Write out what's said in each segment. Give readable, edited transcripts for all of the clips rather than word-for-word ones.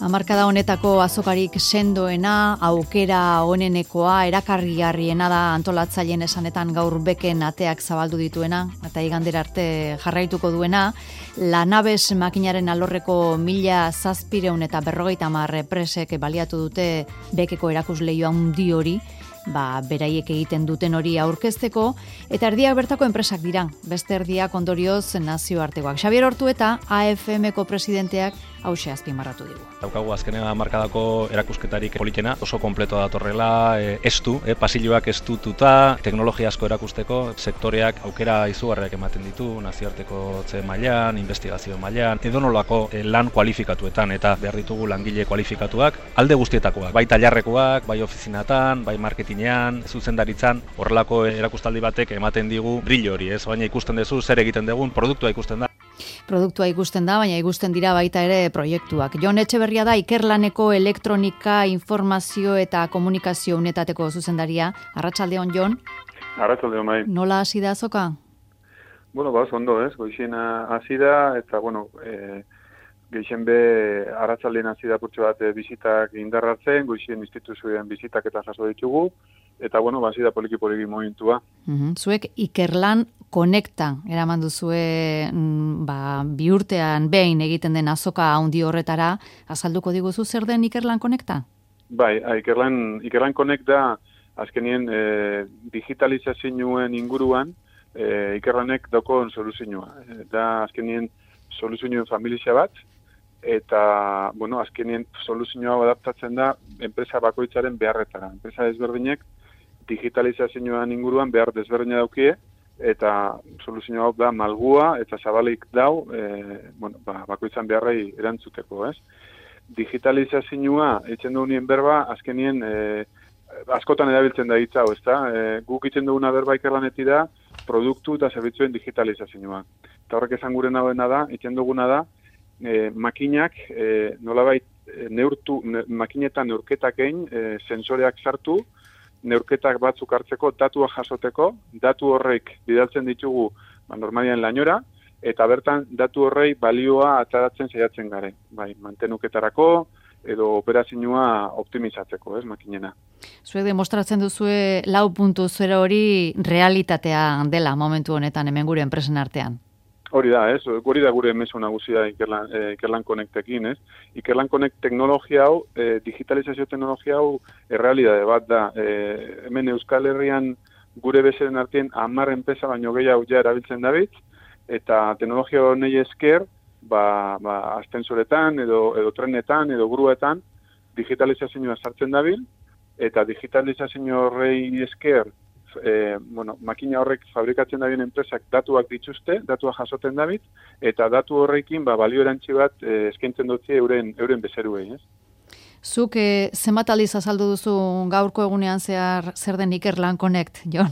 Hamarkada honetako azokarik sendoena, aukera onenekoa, erakarrigarriena da antolatzaileen esanetan gaur beken ateak zabaldu dituena, eta igandera arte jarraituko duena, Lanabes makinaren alorreko 1750 presek baliatu dute bekeko erakusleio handi hori, beraiek egiten duten hori aurkezteko, eta erdiak bertako enpresak dira, beste erdiak ondorioz nazioartekoak. Xabier Ortueta, AFM-ko presidenteak, hauxe azpimarratu digu. Daukagu azkenean hamarkadako erakusketarik politena, oso kompleto datorrela, estu, pasilloak estututa, teknologia asko erakusteko, sektoreak aukera izugarriak ematen ditu, nazioarteko mailan, investigazio mailan, edonolako lan kualifikatuetan, eta behar ditugu langile kualifikatuak, alde guztietakoak, bai tailarrekoak, bai ofizinatan, bai marketingean, zuzendaritzan, horrelako erakustaldi batek ematen digu brillo hori, baina ikusten duzu zer egiten dugun, produktua ikusten da. Produktua ikusten da, baina ikusten dira baita ere proiektuak. Jon Etxeberria da Ikerlaneko elektronika, informazio eta komunikazio unetateko zuzendaria. Arratsaldeon, Jon. Arratsaldeon, bai. Nola hasi da azoka? Bueno, ondo, goizien hasi da, eta, geixen be arratsaldean hasi da purtsu bat bizitak indarratzen, goizien instituzioen bizitak eta jaso ditugu, eta, hasi da poliki momentua. Zuek Ikerlan Konekta eraman duzue bi urtean behin egiten den azoka handi horretara, azalduko diguzu zer den Ikerlan Konekta? Bai, Ikerlan Konekta azkenien digitalizazioen inguruan Ikerlanek daukon soluzioa. Da azkenien soluzioen familia bat, eta, azkenien soluzioa adaptatzen da enpresa bakoitzaren beharretara. Enpresa desberdinek digitalizazioan inguruan behar desberdina daukie, eta soluzio hau da malgua eta zabalik dau, bakoitzan beharrei erantzuteko, ez? Digitalizazioa, eitzen dugunien berba, azkenien askotan erabiltzen da hitza hau, ezta? Guk itzen duguna berba Ikerlanetik da, produktu eta zerbitzuen digitalizazioa. Eta horrek esan gure nagoena da, itzen duguna da, makinak, nolabait, makinetan neurketak egin, sensoreak sartu, neurketak batzuk hartzeko, datua jasoteko, datu horrek bidaltzen ditugu normalian lainora, eta bertan datu horrei balioa ataratzen saiatzen gare. Bai, mantenuketarako edo operazioa optimizatzeko, makinena. Zuek demostratzen duzue 4.0 hori realitatea dela momentu honetan hemen gure enpresen artean. Hori da, hori da gure mezu nagusia Ikerlan Konektekin, Ikerlan Connect teknologia hau, digitalizazio teknologia hau, errealidade bat da. Hemen Euskal Herrian gure bezeren artean 10 enpresa baino gehiago ja erabiltzen dabil, eta teknologia honei esker, ascensoretan, edo trenetan, edo gruetan, digitalizazioa sartzen dabil, eta digitalizazio horrei esker, makina horrek fabrikatzen dabien enpresak datuak dituzte, datuak jasoten dabil, eta datu horrekin balio erantzi bat eskaintzen dutzi euren bezeruei, Zuk zenbat aldiz azaldu duzu gaurko egunean zer den Ikerlan Connect, Jon?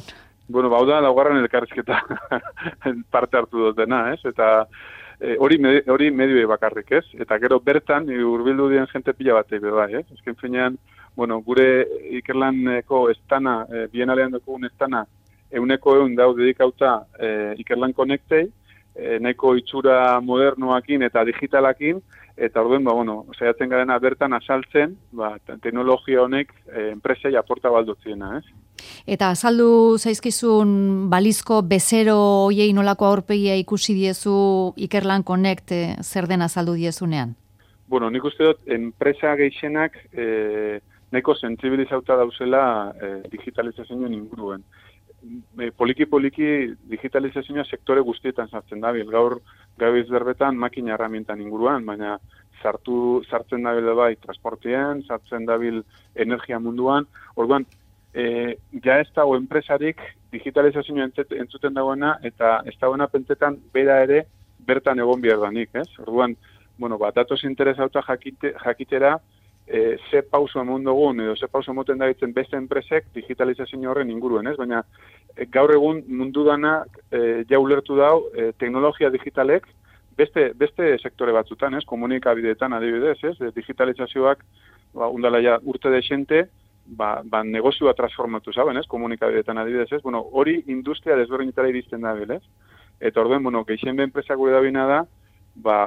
Hau da, laugarren elkarrizketa parte hartu dutena, eta hori medioei bakarrik, Eta gero bertan, hurbildu dien jente pila batei bai, Ezken finean, gure Ikerlaneko estana, bienalean dugun estana, 100% dau dedikauta Ikerlan Connectei, nahiko itxura modernoakin eta digitalakin, eta orduen, saiatzen garena bertan azaltzen, teknologia honek enpresei aporta baldutziena, Eta azaldu zaizkizun balizko bezero hoiei nolako aurpegia ikusi diezu Ikerlan Connect zer den azaldu diezunean? Nik uste dut, enpresa gehienak nahiko sentsibilizauta dauzela digitalizazioen inguruen. Poliki digitalizazioa sektore guztietan sartzen dabil. Gaur gabiz berbetan makina herramientan inguruan, baina sartzen dabil bai transportien, sartzen dabil energia munduan. Orduan, ja ez dago enpresarik digitalizazioa entzuten dagoena, eta ez dagoena pentsetan bera ere bertan egon behar danik, Orduan, datoz interesauta jakitera, ze pauso emon dugun, edo ze pauso emoten dabitzen beste enpresek digitalizazio horren inguruen, Baina gaur egun mundu dana ja ulertu dau teknologia digitalek beste sektore batzutan, komunikabideetan adibidez, digitalizazioak undala ja urte desente, negozioa transformatu zaben, komunikabideetan adibidez, hori industria desberdinetara iristen da, Eta orduen, gehien be enpresa gure dabina da,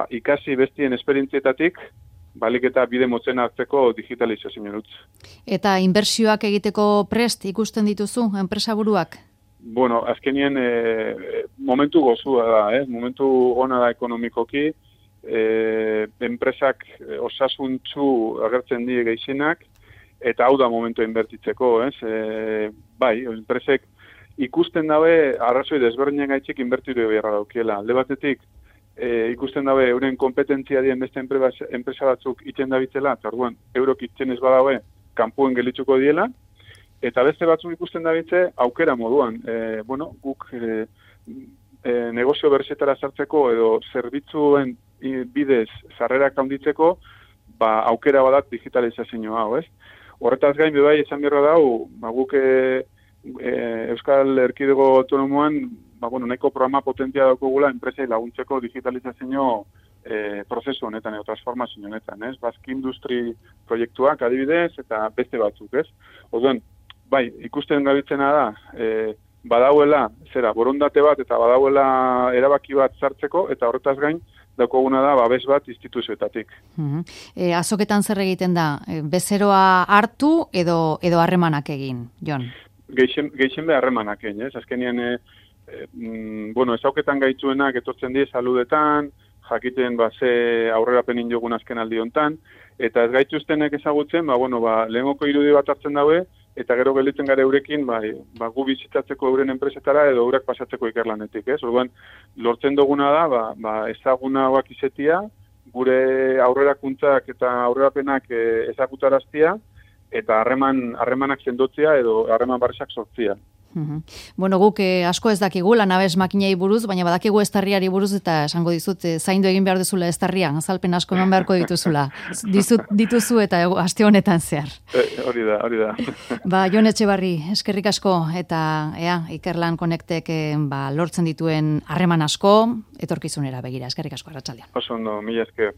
ikasi bestien esperientzietatik, balik eta bide motzen hartzeko digitalizazioa dut. Eta inbertsioak egiteko prest ikusten dituzu, enpresaburuak? Bueno, azkenien momentu gozua da, momentu ona da ekonomikoki, enpresak osasuntzu agertzen die gehienak, eta hau da momentu inbertitzeko, bai, enpresek ikusten dabe, arrazoi desberdinak gaitxik inbertitu beharra daukiela. Alde batetik, ikusten dabe, euren kompetentzia dien beste enpresa batzuk iten dabitzela, eta orduan, eurok iten ez badabe, kanpuen gelitzuko diela, eta beste batzuk ikusten dabitze, aukera moduan. Guk negozio berzetara sartzeko edo zerbitzuen bidez sarrerak handitzeko, aukera badat digitalizazio hau, Horretaz gain, bebai, esan berra dau, guk Euskal Erkidego Autonomoan, nahiko programa potentia daukagula enpresei laguntzeko digitalizazio prozesu honetan, edo transformazio honetan, Basque Industry proiektuak adibidez, eta beste batzuk, Orduan, bai, ikusten gabitzena da, badauela, borondate bat, eta badauela erabaki bat sartzeko, eta horretaz gain, daukaguna da, babes bat instituzioetatik. Azoketan zer egiten da? Bezeroa hartu edo harremanak egin, Jon? Gehien behar harremanak egin, Azkenean, ezauketan gaitzuenak etortzen die saludetan, jakiten ze aurrerapenin jogun azken aldi hontan, eta ez gaituztenek ezagutzen, lehengoko irudi bat hartzen daue, eta gero gelditzen gara eurekin, gu bizitatzeko euren enpresetara edo eurak pasatzeko ikerlanetik, Orduan, lortzen duguna da, ezaguna hauak izetia, gure aurrerakuntzak eta aurrerapenak ezagutaraztia, eta harremanak sendotzea edo harreman barresak sortzea. Guk asko ez dakigu lanabes makinei buruz, baina badakigu estarriari buruz, eta esango dizut, zaindu egin behar duzula estarrian, azalpen asko eman beharko dituzula. Dituzu eta aste honetan zehar. Hori da. Jon Etxebarri, eskerrik asko, eta Ikerlan Connectek lortzen dituen harreman asko, etorkizunera begira, eskerrik asko, arratsaldean. Oso ondo, mila esker.